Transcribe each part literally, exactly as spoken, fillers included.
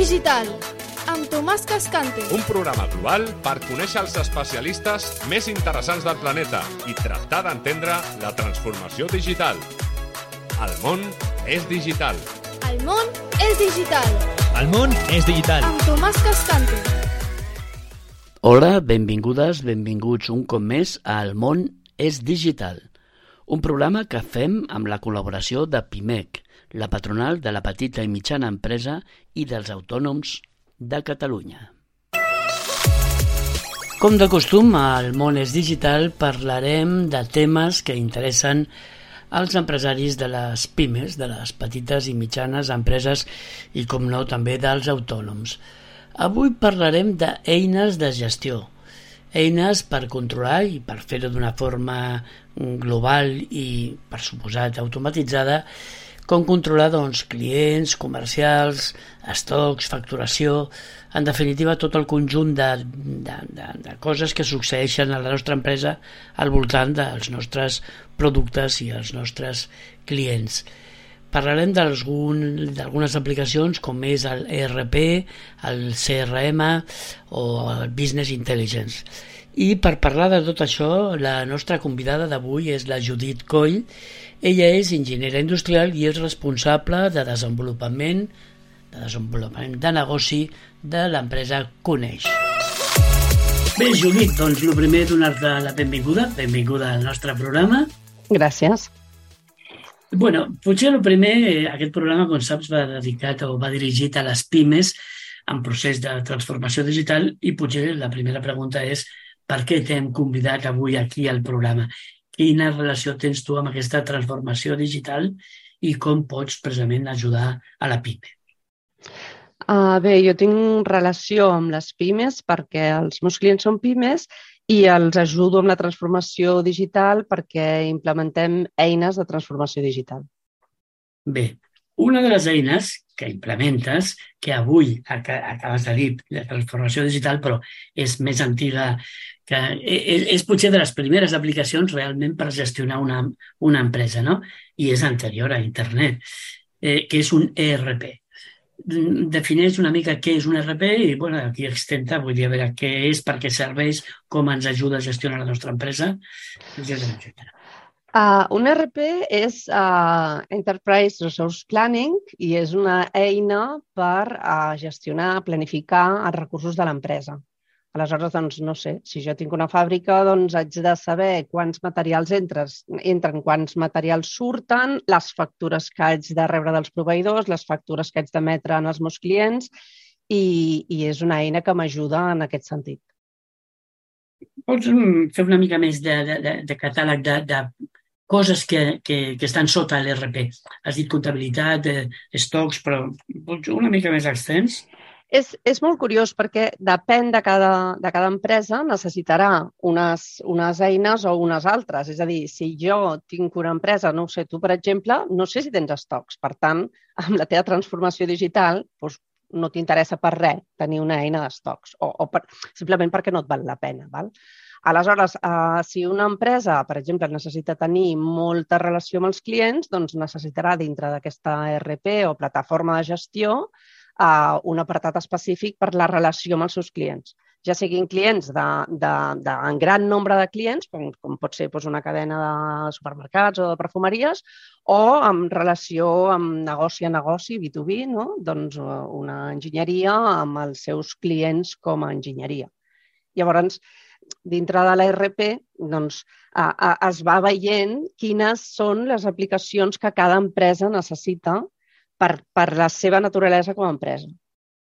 Digital, amb Tomàs Cascante. Un programa global per conèixer els especialistes més interessants del planeta i tractar d'entendre la transformació digital. El món és digital. El món és digital. El món és digital. Amb Tomàs Cascante. Hola, benvingudes, benvinguts un cop més a El món és digital, un programa que fem amb la col·laboració de Pimec, la patronal de la petita i mitjana empresa i dels autònoms de Catalunya. Com de costum, al món és digital parlarem de temes que interessen als empresaris de les pimes, de les petites i mitjanes empreses i, com no, també dels autònoms. Avui parlarem d'eines de gestió, eines per controlar i per fer-ho d'una forma global i, per suposat, automatitzada, com controlar doncs, clients, comercials, estocs, facturació, en definitiva tot el conjunt de, de, de, de coses que succeeixen a la nostra empresa al voltant dels nostres productes i els nostres clients. Parlarem d'algunes aplicacions com és el E R P, el C R M o el Business Intelligence. I per parlar de tot això, la nostra convidada d'avui és la Judit Coll. Ella és enginyera industrial i és responsable de desenvolupament de desenvolupament de negoci de l'empresa Coneix. Bé, Judit, doncs el primer donar-te la benvinguda, benvinguda al nostre programa. Gràcies. Bueno, potser el primer, aquest programa, com saps, va dedicat o va dirigit a les pimes en procés de transformació digital i potser la primera pregunta és per què t'hem convidat avui aquí al programa? Quina relació tens tu amb aquesta transformació digital i com pots precisament ajudar a la pime? Uh, bé, jo tinc relació amb les pimes perquè els meus clients són pimes i els ajudo amb la transformació digital perquè implementem eines de transformació digital. Bé, una de les eines que implementes, que avui acabes de dir, la transformació digital, però és més antiga, que és, és potser de les primeres aplicacions realment per gestionar una, una empresa, no? I és anterior a internet, eh, que és un E R P. Defineix una mica què és un E R P i bueno, aquí extenta, vull dir, a veure què és, per què serveix, com ens ajuda a gestionar la nostra empresa, etcètera, etcètera. Uh, un E R P és uh, Enterprise Resource Planning i és una eina per uh, gestionar, planificar els recursos de l'empresa. Aleshores, doncs, no sé, si jo tinc una fàbrica, doncs haig de saber quants materials entren, entren, quants materials surten, les factures que haig de rebre dels proveïdors, les factures que haig d'emetre en els meus clients i, i és una eina que m'ajuda en aquest sentit. Pots fer una mica més de, de, de catàleg de, de coses que, que, que estan sota l'E R P? Has dit comptabilitat, estocs, però una mica més extens? És, és molt curiós perquè depèn de cada, de cada empresa, necessitarà unes, unes eines o unes altres. És a dir, si jo tinc una empresa, no ho sé, tu, per exemple, no sé si tens estocs. Per tant, amb la teva transformació digital doncs, no t'interessa per res tenir una eina d'estocs o, o per, simplement perquè no et val la pena. Val? Aleshores, eh, si una empresa, per exemple, necessita tenir molta relació amb els clients, doncs necessitarà dintre d'aquesta E R P o plataforma de gestió Uh, un apartat específic per la relació amb els seus clients. Ja siguin clients de, de, de en gran nombre de clients, com, com pot ser doncs, una cadena de supermercats o de perfumeries, o en relació amb negoci a negoci, B dos B, no? Doncs una enginyeria amb els seus clients com a enginyeria. Llavors, dintre de l'E R P, doncs, uh, uh, es va veient quines són les aplicacions que cada empresa necessita Per, per la seva naturalesa com a empresa.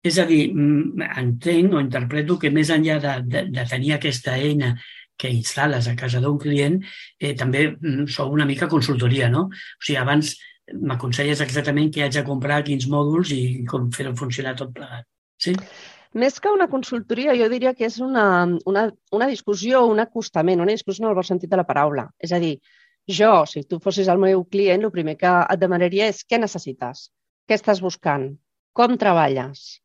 És a dir, entenc o interpreto que més enllà de, de, de tenir aquesta eina que instal·les a casa d'un client, eh, també sou una mica consultoria, no? O sigui, abans m'aconselles exactament què haig de comprar, quins mòduls i com fer-ho funcionar tot plegat. Sí? Més que una consultoria, jo diria que és una, una, una discussió, un acostament, una discussió en el bon sentit de la paraula. És a dir, jo, si tu fossis el meu client, el primer que et demanaria és què necessites? Què estàs buscant? Com treballes?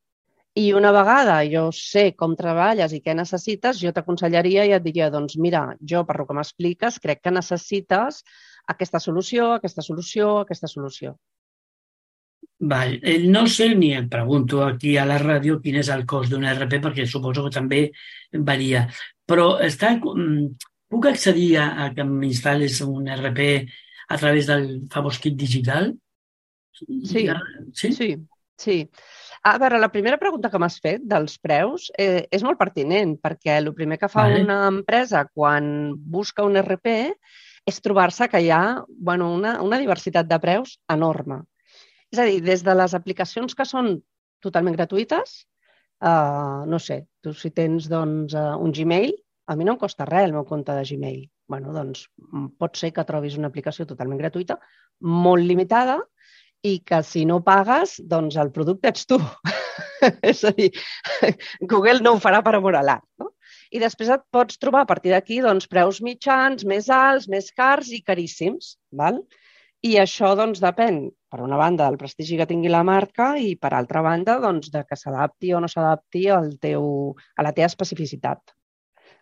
I una vegada jo sé com treballes i què necessites, jo t'aconsellaria i et diria, doncs mira, jo per lo que m'expliques crec que necessites aquesta solució, aquesta solució, aquesta solució. Val. Eh, No sé ni em pregunto aquí a la ràdio quin és el cost d'un E R P, perquè suposo que també varia. Però està, mm, puc accedir a, a que m'instal·lis un E R P a través del famós kit digital? Sí, Ja- Sí? sí, sí. A veure, la primera pregunta que m'has fet dels preus eh, és molt pertinent, perquè el primer que fa Vale. una empresa quan busca un E R P és trobar-se que hi ha bueno, una, una diversitat de preus enorme. És a dir, des de les aplicacions que són totalment gratuïtes, eh, no sé, tu si tens doncs, eh, un Gmail, a mi no em costa res el meu compte de Gmail. Bueno, doncs mm, pot ser que trobis una aplicació totalment gratuïta, molt limitada, i que si no pagues, doncs el producte ets tu. És a dir, Google no ho farà per amor a l'art. No? I després et pots trobar a partir d'aquí doncs, preus mitjans, més alts, més cars i caríssims. Val? I això doncs, depèn, per una banda, del prestigi que tingui la marca i, per altra banda, doncs, de que s'adapti o no s'adapti al teu, a la teva especificitat.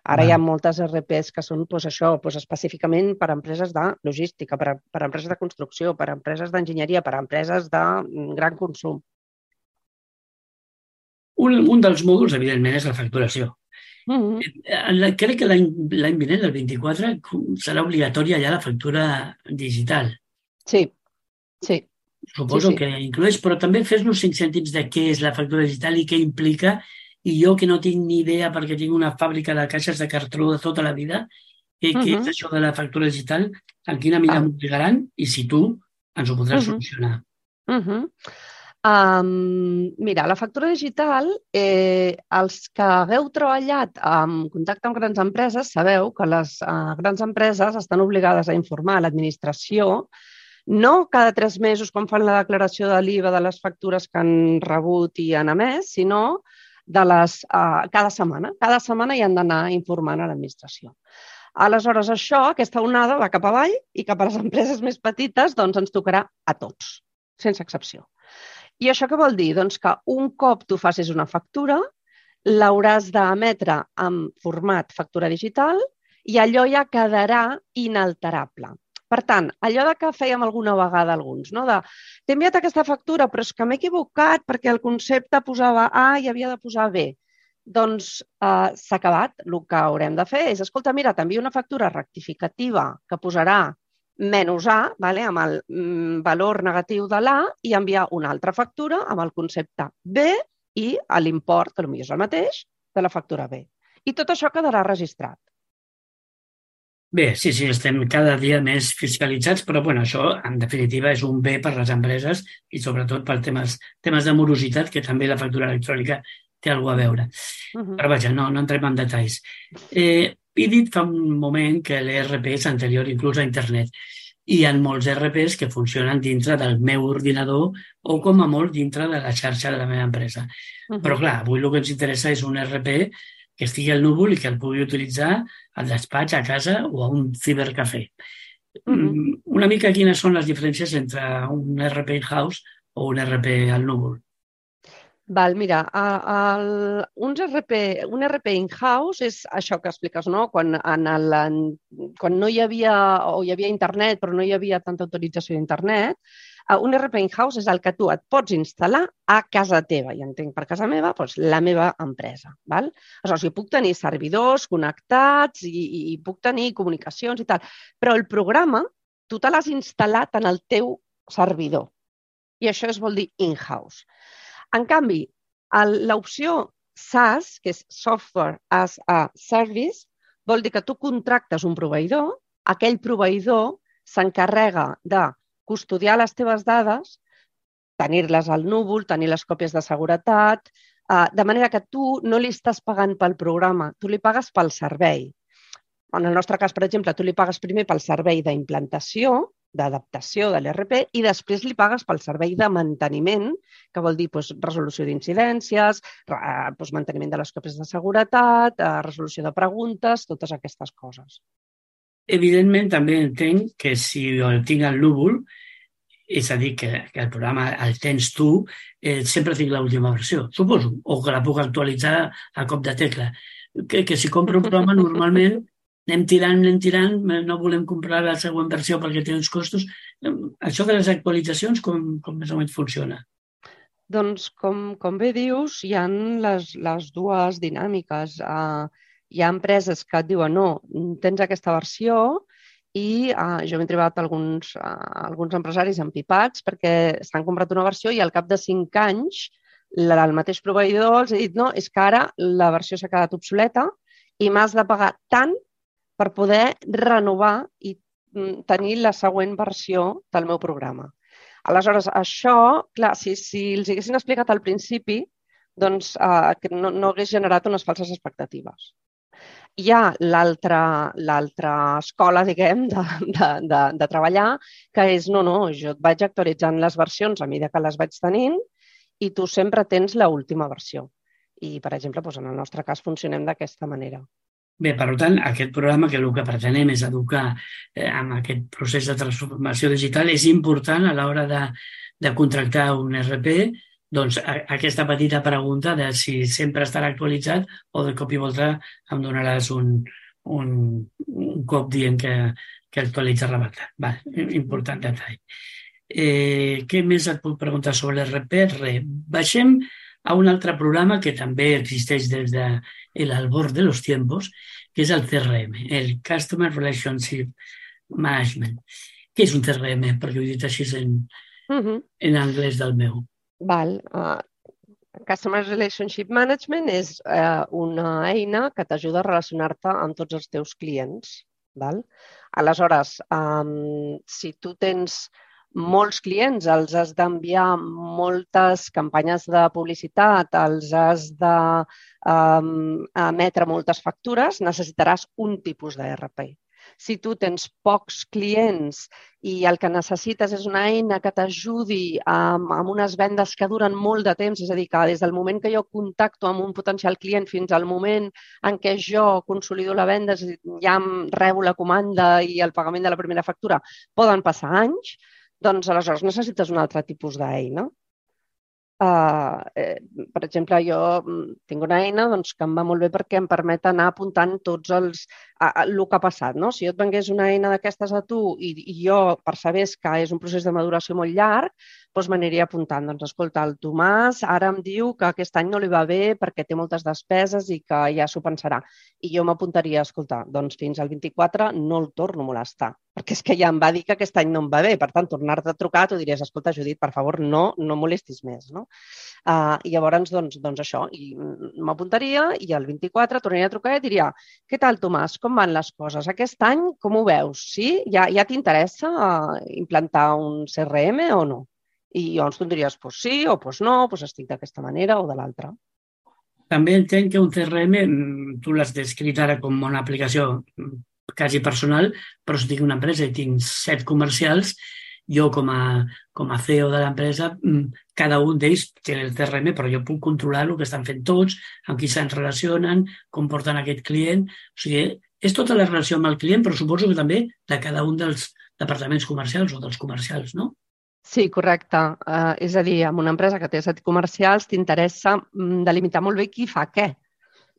Ara hi ha Val. moltes E R Ps que són doncs, això, doncs, específicament per a empreses de logística, per a, per a empreses de construcció, per a empreses d'enginyeria, per a empreses de mm, gran consum. Un, un dels mòduls, evidentment, és la facturació. Mm -hmm. Eh, la- Crec que l'any l'any vinent, el vint-i-quatre, serà obligatòria ja la factura digital. Sí, sí, Suposo sí. que incloeix, però també fes-nos cinc cèntims de què és la factura digital i què implica. I jo, que no tinc ni idea perquè tinc una fàbrica de caixes de cartró de tota la vida, què, Mm què és -hmm. això de la factura digital, en quina mida m'obligaran i si tu ens ho podràs Mm -hmm. solucionar. Mm -hmm. Um, mira, la factura digital, eh, els que hagueu treballat en contacte amb grans empreses, sabeu que les uh, grans empreses estan obligades a informar a l'administració no cada tres mesos quan fan la declaració de l'I V A de les factures que han rebut i han emès, sinó de les, uh, cada setmana. Cada setmana hi han d'anar informant a l'administració. Aleshores, això, aquesta onada va cap avall i cap a les empreses més petites doncs ens tocarà a tots, sense excepció. I això què vol dir? Doncs que un cop tu facis una factura, l'hauràs d'emetre en format factura digital i allò ja quedarà inalterable. Per tant, allò de que fèiem alguna vegada alguns, no? de t'he enviat aquesta factura, però és que m'he equivocat perquè el concepte posava A i havia de posar B. Doncs eh, s'ha acabat. El que haurem de fer és, escolta, mira, t'envio una factura rectificativa que posarà menys A, vale, amb el mm, valor negatiu de l'A, i enviar una altra factura amb el concepte B i l'import, que potser és el mateix, de la factura B. I tot això quedarà registrat. Bé, sí, sí, estem cada dia més fiscalitzats, però bueno, això en definitiva és un bé per les empreses i sobretot per temes, temes de morositat, que també la factura electrònica té alguna cosa a veure. Uh -huh. Però vaja, no, no entrem en detalls. Eh, he dit fa un moment que l'E R P és anterior inclús a internet. Hi ha molts E R Ps que funcionen dintre del meu ordinador o com a molt dintre de la xarxa de la meva empresa. Uh -huh. Però clar, avui el que ens interessa és un E R P que estigui al núvol i que el pugui utilitzar al despatx, a casa o a un cibercafè. Uh -huh. Una mica quines són les diferències entre un E R P in-house o un E R P al núvol? Val, mira, el, un E R P, un E R P in-house és això que expliques, no? Quan, en el, en, quan no hi havia, o hi havia internet, però no hi havia tanta autorització d'internet, un E R P in-house és el que tu et pots instal·lar a casa teva. I entenc per casa meva, doncs la meva empresa. Val? Aleshores, jo puc tenir servidors connectats i, i, i puc tenir comunicacions i tal, però el programa tu te l'has instal·lat en el teu servidor. I això es vol dir in-house. En canvi, l'opció SaaS, que és Software as a Service, vol dir que tu contractes un proveïdor, aquell proveïdor s'encarrega de custodiar les teves dades, tenir-les al núvol, tenir les còpies de seguretat, de manera que tu no li estàs pagant pel programa, tu li pagues pel servei. En el nostre cas, per exemple, tu li pagues primer pel servei d'implantació, d'adaptació de l'E R P i després li pagues pel servei de manteniment, que vol dir doncs, resolució d'incidències, doncs, manteniment de les còpies de seguretat, resolució de preguntes, totes aquestes coses. Evidentment, també entenc que si el tinc al núvol, és a dir, que, que el programa el tens tu, eh, sempre tinc l'última versió, suposo, o que la puc actualitzar a cop de tecla. Que, que si compro un programa normalment anem tirant, anem tirant, no volem comprar la següent versió perquè té uns costos. Això de les actualitzacions, com, com més o menys funciona? Doncs, com, com bé dius, hi ha les, les dues dinàmiques. Uh, hi ha empreses que et diuen no, tens aquesta versió i uh, jo m'he trobat alguns, uh, alguns empresaris empipats perquè s'han comprat una versió i al cap de cinc anys la, el mateix proveïdor els ha dit no, és que ara la versió s'ha quedat obsoleta i m'has de pagar tant per poder renovar i mm, tenir la següent versió del meu programa. Aleshores, això, clar, si, si els haguessin explicat al principi, doncs eh, que no, no hagués generat unes falses expectatives. Hi ha l'altra escola, diguem, de, de, de, de treballar, que és, no, no, jo et vaig actualitzant les versions a mesura que les vaig tenint i tu sempre tens l'última versió. I, per exemple, doncs, en el nostre cas funcionem d'aquesta manera. Bé, per tant, aquest programa que el que pretenem és educar eh, amb aquest procés de transformació digital és important a l'hora de, de contractar un R P, doncs a, aquesta petita pregunta de si sempre estarà actualitzat o de cop i volta em donaràs un, un, un cop dient que, que actualitza rebatat. Va, important detall. Eh, què més et puc preguntar sobre l'R P? Re. Baixem a un altre programa que també existeix des de l'albor de los tiempos, que és el C R M, el Customer Relationship Management. Què és un C R M? Perquè ho he dit així en, uh-huh. en anglès del meu. Val. Uh, Customer Relationship Management és uh, una eina que t'ajuda a relacionar-te amb tots els teus clients. Val? Aleshores, um, si tu tens molts clients, els has d'enviar moltes campanyes de publicitat, els has d'emetre um, moltes factures, necessitaràs un tipus de R P. Si tu tens pocs clients i el que necessites és una eina que t'ajudi amb, amb unes vendes que duren molt de temps, és a dir, que des del moment que jo contacto amb un potencial client fins al moment en què jo consolido la venda, ja rebo la comanda i el pagament de la primera factura, poden passar anys, doncs aleshores necessites un altre tipus d'eina. Uh, eh, per exemple, jo tinc una eina doncs, que em va molt bé perquè em permet anar apuntant tots els uh, el que ha passat. No? Si jo et vengués una eina d'aquestes a tu i, i jo percebés que és un procés de maduració molt llarg, doncs m'aniria apuntant. Doncs, escolta, el Tomàs ara em diu que aquest any no li va bé perquè té moltes despeses i que ja s'ho pensarà. I jo m'apuntaria, escolta, doncs fins al vint-i-quatre no el torno a molestar, perquè és que ja em va dir que aquest any no em va bé. Per tant, tornar-te a trucar, tu diries, escolta, Judit, per favor, no, no molestis més. No? Uh, I llavors, doncs, doncs això, i m'apuntaria i el vint-i-quatre tornaria a trucar i diria, què tal, Tomàs, com van les coses? Aquest any, com ho veus? Sí? Ja, ja t'interessa uh, implantar un C R M o no? I llavors tu em diries, pues sí o pues no, pues estic d'aquesta manera o de l'altra. També entenc que un C R M, tu l'has descrit ara com una aplicació quasi personal, però si tinc una empresa i tinc set comercials, jo com a, com a C E O de l'empresa, cada un d'ells té el C R M, però jo puc controlar el que estan fent tots, amb qui se'n relacionen, com porten aquest client. O sigui, és tota la relació amb el client, però suposo que també de cada un dels departaments comercials o dels comercials, no? Sí, correcte. Uh, és a dir, amb una empresa que té set comercials t'interessa delimitar molt bé qui fa què.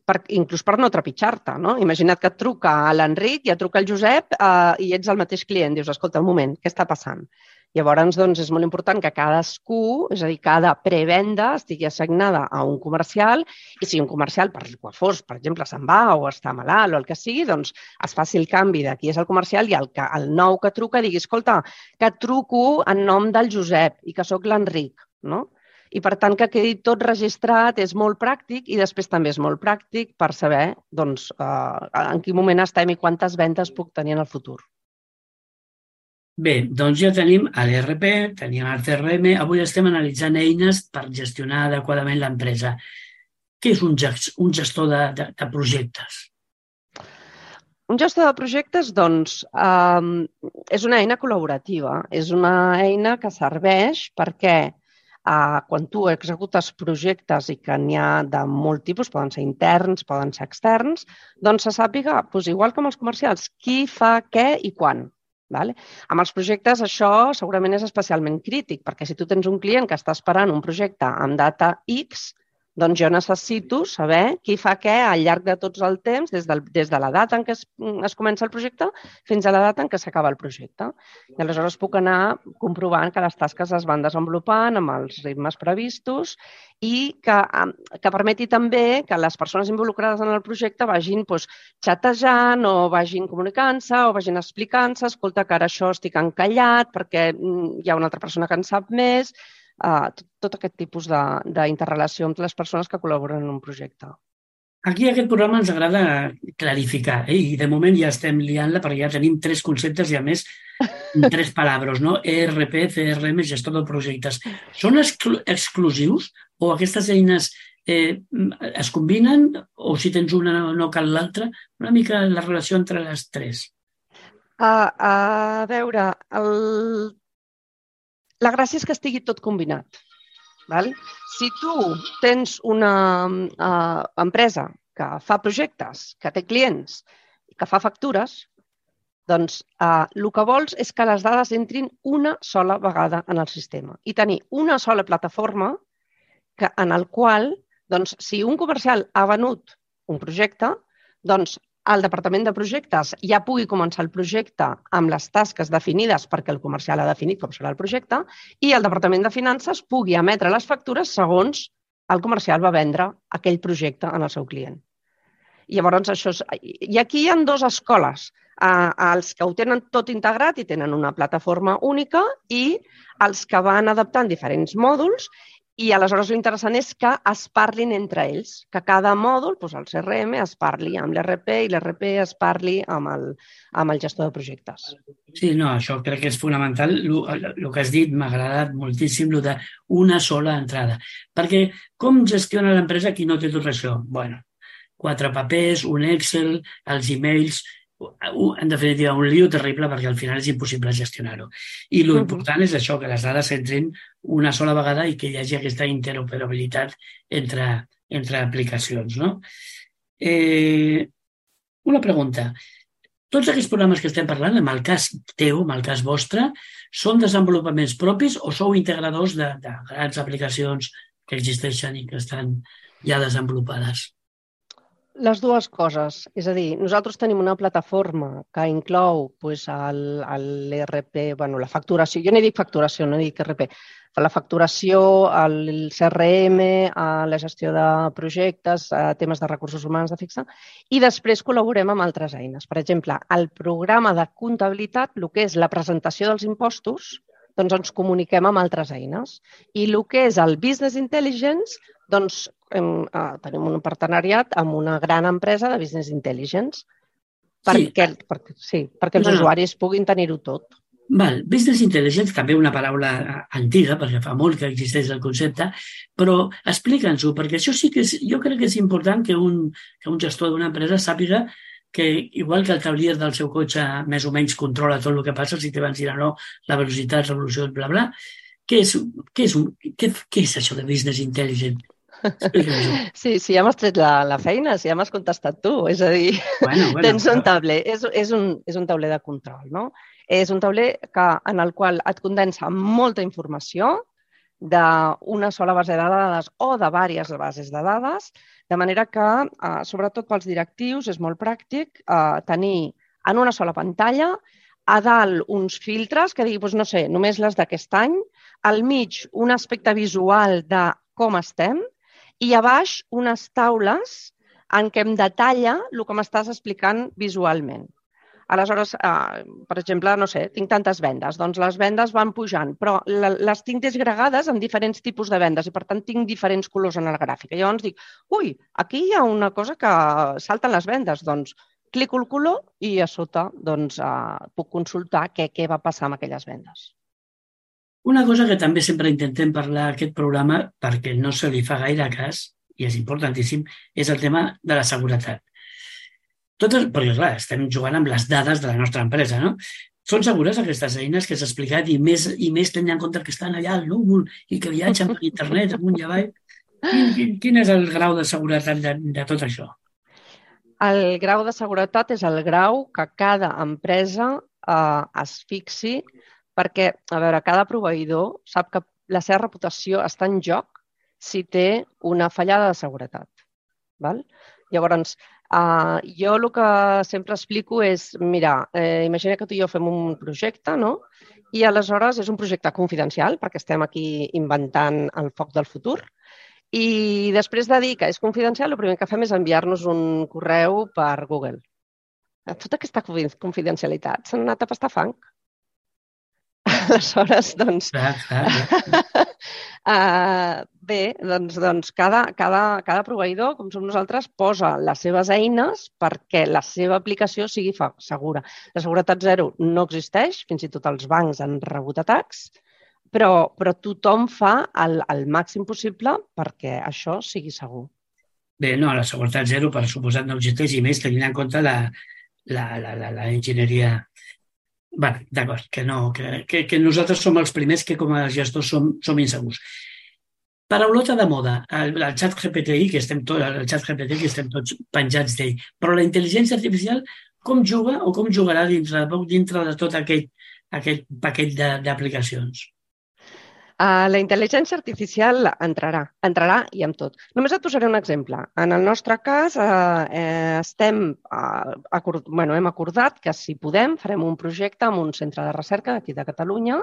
Per, inclús per no trepitjar-te, no? Imagina't que et truca l'Enric i et truca el Josep eh, i ets el mateix client. Dius, escolta, un moment, què està passant? Llavors, doncs, és molt important que cadascú, és a dir, cada prevenda estigui assignada a un comercial i si un comercial, per el fos, per exemple, se'n va o està malalt o el que sigui, doncs es faci el canvi de qui és el comercial i el, que, el nou que truca digui, escolta, que et truco en nom del Josep i que sóc l'Enric, no? I, per tant, que quedi tot registrat és molt pràctic i després també és molt pràctic per saber doncs, eh, en quin moment estem i quantes vendes puc tenir en el futur. Bé, doncs ja tenim l'R P, tenim el C R M, avui estem analitzant eines per gestionar adequadament l'empresa. Què és un gestor de, de, de projectes? Un gestor de projectes, doncs, eh, és una eina col·laborativa. És una eina que serveix perquè Uh, quan tu executes projectes i que n'hi ha de molt tipus, poden ser interns, poden ser externs, doncs se sàpiga, doncs igual com els comercials, qui fa què i quan. Vale? Amb els projectes això segurament és especialment crític, perquè si tu tens un client que està esperant un projecte amb data X, Doncs jo necessito saber qui fa què al llarg de tots el temps, des, del, des de la data en què es, es comença el projecte fins a la data en què s'acaba el projecte. I aleshores puc anar comprovant que les tasques es van desenvolupant amb els ritmes previstos i que, que permeti també que les persones involucrades en el projecte vagin doncs, xatejant o vagin comunicant-se o vagin explicant-se, escolta, que ara això estic encallat perquè hi ha una altra persona que en sap més. Uh, tot, tot aquest tipus d'interrelació entre les persones que col·laboren en un projecte. Aquí aquest programa ens agrada clarificar, eh? I de moment ja estem liant-la perquè ja tenim tres conceptes i a més tres paraules, no? E R P, C R M, gestor de projectes. Són exclu exclusius o aquestes eines eh, es combinen o si tens una no cal l'altra? Una mica la relació entre les tres. Uh, a veure, el La gràcia és que estigui tot combinat. Val? Si tu tens una uh, empresa que fa projectes, que té clients i que fa factures, doncs uh, el que vols és que les dades entrin una sola vegada en el sistema i tenir una sola plataforma que, en el qual, doncs, si un comercial ha venut un projecte, doncs el departament de projectes ja pugui començar el projecte amb les tasques definides perquè el comercial ha definit com serà el projecte i el departament de finances pugui emetre les factures segons el comercial va vendre aquell projecte en el seu client. I llavors això és... I aquí hi ha dues escoles, eh, els que ho tenen tot integrat i tenen una plataforma única i els que van adaptant diferents mòduls. I aleshores l'interessant és que es parlin entre ells, que cada mòdul, doncs el C R M, es parli amb l'R P i l'R P es parli amb el, amb el gestor de projectes. Sí, no, això crec que és fonamental. El que has dit m'ha agradat moltíssim, el d'una sola entrada. Perquè com gestiona l'empresa qui no té tot això? Bueno, quatre papers, un Excel, els e-mails... En definitiva, un lío terrible perquè al final és impossible gestionar-ho. I l'important uh-huh. és això, que les dades entrin una sola vegada i que hi hagi aquesta interoperabilitat entre, entre aplicacions. No? Eh, una pregunta. Tots aquests programes que estem parlant, en el cas teu, en el cas vostre, són desenvolupaments propis o sou integradors de, de grans aplicacions que existeixen i que estan ja desenvolupades? Les dues coses. És a dir, nosaltres tenim una plataforma que inclou doncs, l'E R P, bueno, la facturació, jo no dic facturació, no dic R P, la facturació, el C R M, la gestió de projectes, temes de recursos humans de fixa, i després col·laborem amb altres eines. Per exemple, el programa de comptabilitat, el que és la presentació dels impostos, doncs ens comuniquem amb altres eines. I el que és el Business Intelligence, doncs hem, eh, tenim un partenariat amb una gran empresa de Business Intelligence perquè, sí. perquè, sí, perquè els no, no. usuaris puguin tenir-ho tot. Val. Business Intelligence, també una paraula antiga, perquè fa molt que existeix el concepte, però explica'ns-ho, perquè això sí que és, jo crec que és important que un, que un gestor d'una empresa sàpiga que, igual que el tablier del seu cotxe més o menys controla tot el que passa, si te van dir no, la velocitat, revolucions, bla, bla, què és, què és, un, què, què és això de Business Intelligence? Sí, sí, ja m'has tret la, la feina, sí, ja m'has contestat tu. És a dir, bueno, bueno, tens un tauler, és, és, un, és un tauler de control, no? És un tauler que, en el qual et condensa molta informació d'una sola base de dades o de diverses bases de dades, de manera que, eh, sobretot pels directius, és molt pràctic eh, tenir en una sola pantalla a dalt uns filtres que digui, doncs, no sé, només les d'aquest any, al mig un aspecte visual de com estem, i a baix unes taules en què em detalla el que m'estàs explicant visualment. Aleshores, eh, per exemple, no sé, tinc tantes vendes, doncs les vendes van pujant, però les tinc desgregades en diferents tipus de vendes i, per tant, tinc diferents colors en el gràfic. I llavors dic, ui, aquí hi ha una cosa que salten les vendes, doncs clico el color i a sota doncs, eh, puc consultar què, què va passar amb aquelles vendes. Una cosa que també sempre intentem parlar a aquest programa, perquè no se li fa gaire cas, i és importantíssim, és el tema de la seguretat. Totes, perquè, clar, estem jugant amb les dades de la nostra empresa, no? Són segures aquestes eines que s'ha explicat i més, i més tenint en compte que estan allà al núvol i que viatgen per internet amunt i avall? Quin, quin, quin és el grau de seguretat de, de tot això? El grau de seguretat és el grau que cada empresa eh, es fixi perquè, a veure, cada proveïdor sap que la seva reputació està en joc si té una fallada de seguretat. Val? Llavors, uh, jo el que sempre explico és, mira, eh, imagina que tu i jo fem un projecte, no? I aleshores és un projecte confidencial, perquè estem aquí inventant el foc del futur, i després de dir que és confidencial, el primer que fem és enviar-nos un correu per Google. Tota aquesta confidencialitat s'ha anat a pastar fang. Aleshores, doncs... Clar, clar, clar. uh, bé, doncs, doncs cada, cada, cada proveïdor, com som nosaltres, posa les seves eines perquè la seva aplicació sigui segura. La seguretat zero no existeix, fins i tot els bancs han rebut atacs, però, però tothom fa el, el màxim possible perquè això sigui segur. Bé, no, la seguretat zero, per suposat, no existeix, i més tenint en compte la, la, la, la, la enginyeria... Bé, d'acord, que, no, que, que, que nosaltres som els primers que com a gestors som, som insegurs. Paraulota de moda, el, el xat G P T I, que estem tots, el xat G P T que estem tots penjats d'ell, però la intel·ligència artificial com juga o com jugarà dintre de poc dintre de tot aquest, aquest paquet d'aplicacions? Uh, la intel·ligència artificial entrarà, entrarà i amb tot. Només et posaré un exemple. En el nostre cas, uh, eh, estem, uh, acord, bueno, hem acordat que si podem farem un projecte amb un centre de recerca d'aquí de Catalunya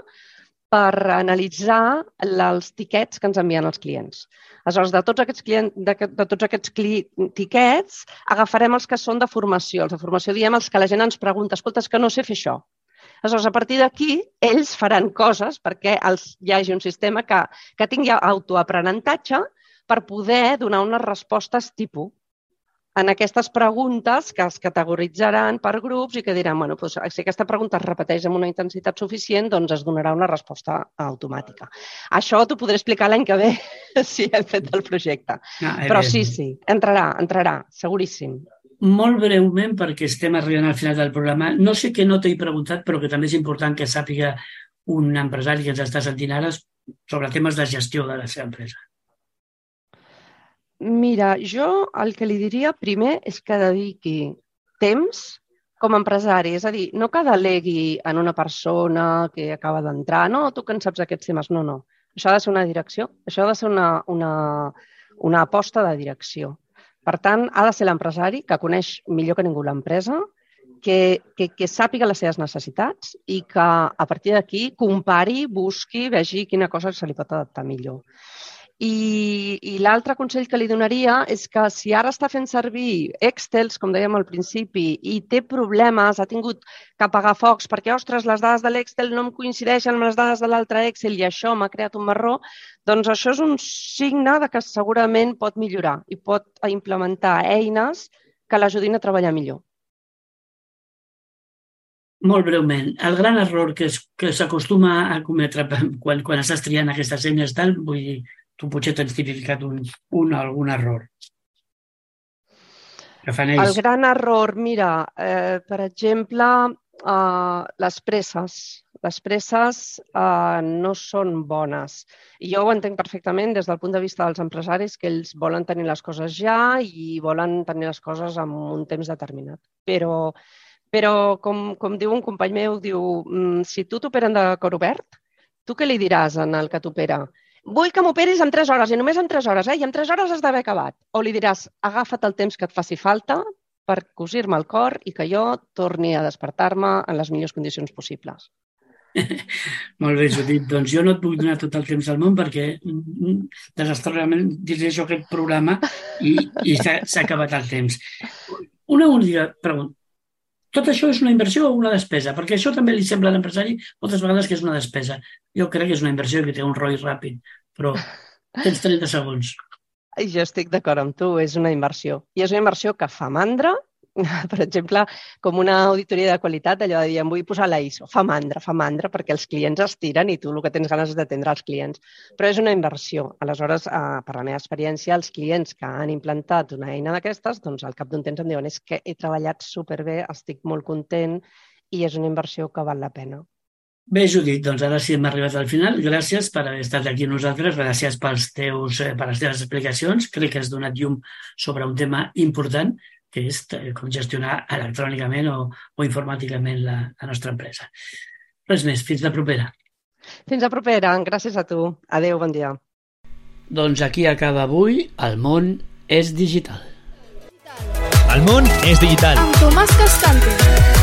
per analitzar els tiquets que ens envien els clients. Aleshores, de tots aquests, clients, de, de tots aquests cli, tiquets, agafarem els que són de formació. Els de formació diem els que la gent ens pregunta, escolta, és que no sé fer això. Aleshores, a partir d'aquí, ells faran coses perquè els, hi hagi un sistema que, que tingui autoaprenentatge per poder donar unes respostes tipus en aquestes preguntes que es categoritzaran per grups i que diran, bueno, doncs, si aquesta pregunta es repeteix amb una intensitat suficient, doncs es donarà una resposta automàtica. Això t'ho podré explicar l'any que ve si hem fet el projecte. No, Però sí, sí, entrarà, entrarà, seguríssim. Molt breument, perquè estem arribant al final del programa, no sé què no t'he preguntat, però que també és important que sàpiga un empresari que ens està sentint ara sobre temes de gestió de la seva empresa. Mira, jo el que li diria primer és que dediqui temps com a empresari, és a dir, no que delegui en una persona que acaba d'entrar, no, tu que en saps aquests temes, no, no. Això ha de ser una direcció, això ha de ser una, una, una aposta de direcció. Per tant, ha de ser l'empresari que coneix millor que ningú l'empresa, que, que, que sàpiga les seves necessitats i que a partir d'aquí compari, busqui, vegi quina cosa se li pot adaptar millor. I, i l'altre consell que li donaria és que si ara està fent servir Excels, com dèiem al principi, i té problemes, ha tingut que apagar focs perquè, ostres, les dades de l'Excel no em coincideixen amb les dades de l'altre Excel i això m'ha creat un marró, doncs això és un signe de que segurament pot millorar i pot implementar eines que l'ajudin a treballar millor. Molt breument, el gran error que s'acostuma a cometre quan, quan estàs triant aquestes eines tal, vull dir, tu potser t'has tipificat un, un algun error. Que fan ells. El gran error, mira, eh, per exemple, eh, les presses. Les presses eh, no són bones. I jo ho entenc perfectament des del punt de vista dels empresaris, que ells volen tenir les coses ja i volen tenir les coses en un temps determinat. Però, però com, com diu un company meu, diu, si tu t'operen de cor obert, tu què li diràs en el que t'opera? Vull que m'operis en tres hores i només en tres hores, eh? I en tres hores has d'haver acabat. O li diràs, agafa't el temps que et faci falta per cosir-me el cor i que jo torni a despertar-me en les millors condicions possibles. Molt bé, Judit. Doncs jo no et puc donar tot el temps del món perquè desastrosament dirigeixo aquest programa i, i s'ha acabat el temps. Una única pregunta. Tot això és una inversió o una despesa? Perquè això també li sembla a l'empresari moltes vegades que és una despesa. Jo crec que és una inversió que té un R O I ràpid, però tens trenta segons. Jo estic d'acord amb tu, és una inversió. I és una inversió que fa mandra, per exemple, com una auditoria de qualitat, allò de dir, em vull posar la I S O. Fa mandra, fa mandra, perquè els clients es tiren i tu el que tens ganes és d'atendre els clients. Però és una inversió. Aleshores, eh, per la meva experiència, els clients que han implantat una eina d'aquestes, doncs al cap d'un temps em diuen és que he treballat superbé, estic molt content i és una inversió que val la pena. Bé, Judit, doncs ara sí hem arribat al final. Gràcies per haver estat aquí amb nosaltres, gràcies pels teus, per les teves explicacions. Crec que has donat llum sobre un tema important, que és com gestionar electrònicament o, o informàticament la, la nostra empresa. Res més, fins la propera. Fins la propera, gràcies a tu. Adéu, bon dia. Doncs aquí acaba avui El món és digital. El món és digital. Amb Tomàs Cascante.